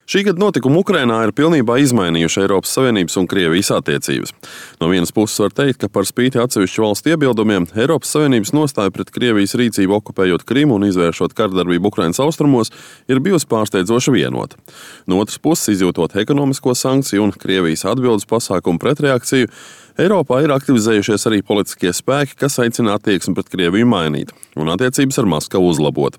Šī gada notikumi Ukrainā ir pilnībā izmainījuši Eiropas Savienības un Krievijas attiecības. No vienas puses var teikt, ka par spīti atsevišķu valstu iebildumiem, Eiropas Savienības nostāja pret Krievijas rīcību okupējot Krimu un izvēršot kardarbību Ukrainas austrumos ir bijusi pārsteidzoši vienota. No otras puses, izjūtot ekonomisko sankciju un Krievijas atbildes pasākumu pretreakciju, Eiropā ir aktivizējušies arī politiskie spēki, kas aicina attieksmi pret Krieviju mainīt un attiecības ar Maskavu uzlabot.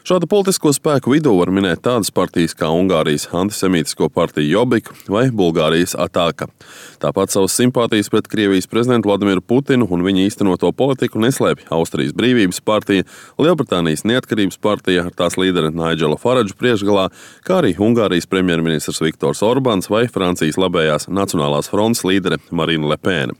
Šādu politisko spēku vidū var minēt tādas partijas kā Ungārijas antisemītisko partiju Jobbik vai Bulgārijas Ataka. Tāpat savas simpātijas pret Krievijas prezidentu Vladimiru Putinu un viņa īstenoto politiku neslēpj Austrijas Brīvības partija, Lielbritānijas Neatkarības partija ar tās līderi Nigelu Faradžu priekšgalā, kā arī Ungārijas premjerministrs Viktors Orbāns vai Francijas labējās Nacionālās frontes līdere Marine Le Pen.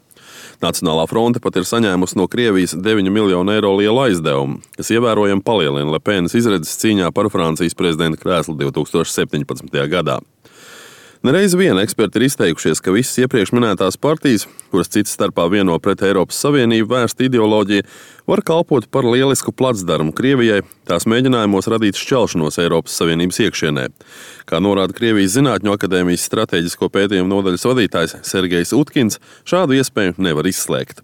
Nacionālā fronte pat ir saņēmusi no Krievijas 9 miljonu eiro lielu aizdevumu, kas ievērojami palielina Le Penas izredzes cīņā par Francijas prezidenta krēslu 2017. gadā. Nereiz vien eksperti ir izteikušies, ka visas iepriekš minētās partijas, kuras citas starpā vieno pret Eiropas Savienību vērsta ideoloģija, var kalpot par lielisku placdarmu Krievijai tās mēģinājumos radīt šķelšanos Eiropas Savienības iekšienē. Kā norāda Krievijas Zinātņu akadēmijas strateģisko pētījumu nodaļas vadītājs Sergejs Utkins, šādu iespēju nevar izslēgt.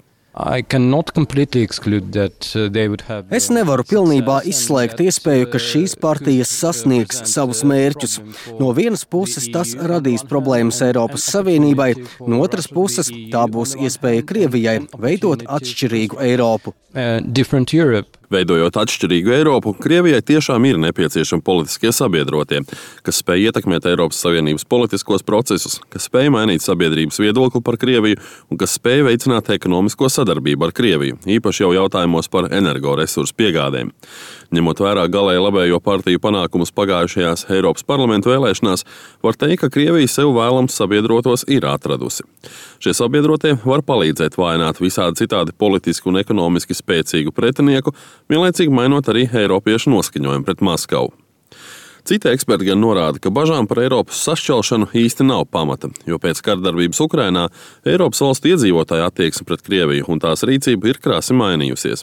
Es nevaru pilnībā izslēgt iespēju, ka šīs partijas sasniegs savus mērķus. No vienas puses tas radīs problēmas Eiropas Savienībai, no otras puses tā būs iespēja Krievijai veidot atšķirīgu Eiropu. Veidojot atšķirīgu Eiropu, Krievijai tiešām ir nepieciešami politiskie sabiedrotie, kas spēj ietekmēt Eiropas Savienības politiskos procesus, kas spēj mainīt sabiedrības viedokli par Krieviju un kas spēj veicināt ekonomisko sadarbību ar Krieviju, īpaši jau jautājumos par energoresursu piegādēm. Ņemot vērā galēji labējo partiju panākumus pagājušajās Eiropas parlamentu vēlēšanās, var teikt, ka Krievija sev vēlams sabiedrotos ir atradusi. Šie sabiedrotie var palīdzēt vājināt visādi citādi politiski un ekonomiski spēcīgu pretinieku, vienlaicīgi mainot arī eiropiešu noskaņojumu pret Maskavu. Citi eksperti gan norāda, ka bažām par Eiropas sašķelšanu īsti nav pamata, jo pēc kardarbības Ukrainā Eiropas valstu iedzīvotāju attieksme pret Krieviju un tās rīcība ir krasi mainījusies.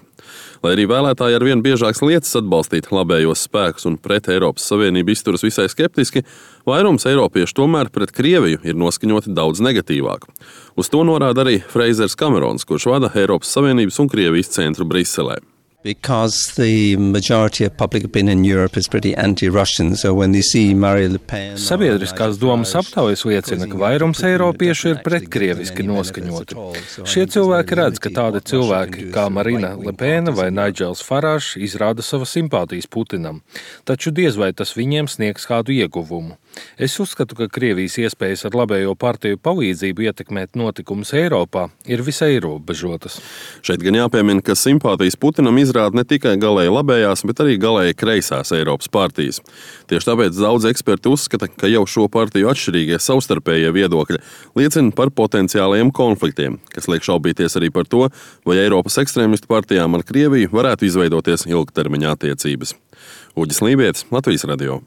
Lai arī vēlētāji arvien biežāks lietas atbalstīt labējos spēkus un pret Eiropas Savienību izturas visai skeptiski, vairums eiropiešu tomēr pret Krieviju ir noskaņoti daudz negatīvāk. Uz to norāda arī Freizers Kamerons, kurš vada Eiropas Savienības un Krievijas centru Briselē. Because the majority of public opinion in Europe is pretty anti-Russian, so when they see Marine Le Pen... Sabiedriskās domas aptaujas liecina, ka vairums eiropiešu ir pretkrieviski noskaņoti. Šie cilvēki redz, ka tādi cilvēki kā Marine Le Pen vai Nigels Farage izrāda savas simpātijas Putinam, taču diez vai tas viņiem sniegs kādu ieguvumu. Es uzskatu, ka Krievijas iespējas ar labējo partiju palīdzību ietekmēt notikumus Eiropā ir visai ierobežotas. Šeit gan jāpiemina, ka simpātijas Putinam izrāda ne tikai galēji labējās, bet arī galēji kreisās Eiropas partijas. Tieši tāpēc daudz eksperti uzskata, ka jau šo partiju atšķirīgie savstarpējie viedokļi liecina par potenciālajiem konfliktiem, kas liek šaubīties arī par to, vai Eiropas ekstrēmistu partijām ar Krieviju varētu izveidoties ilgtermiņa attiecības. Uģis Lībietis, Latvijas radio.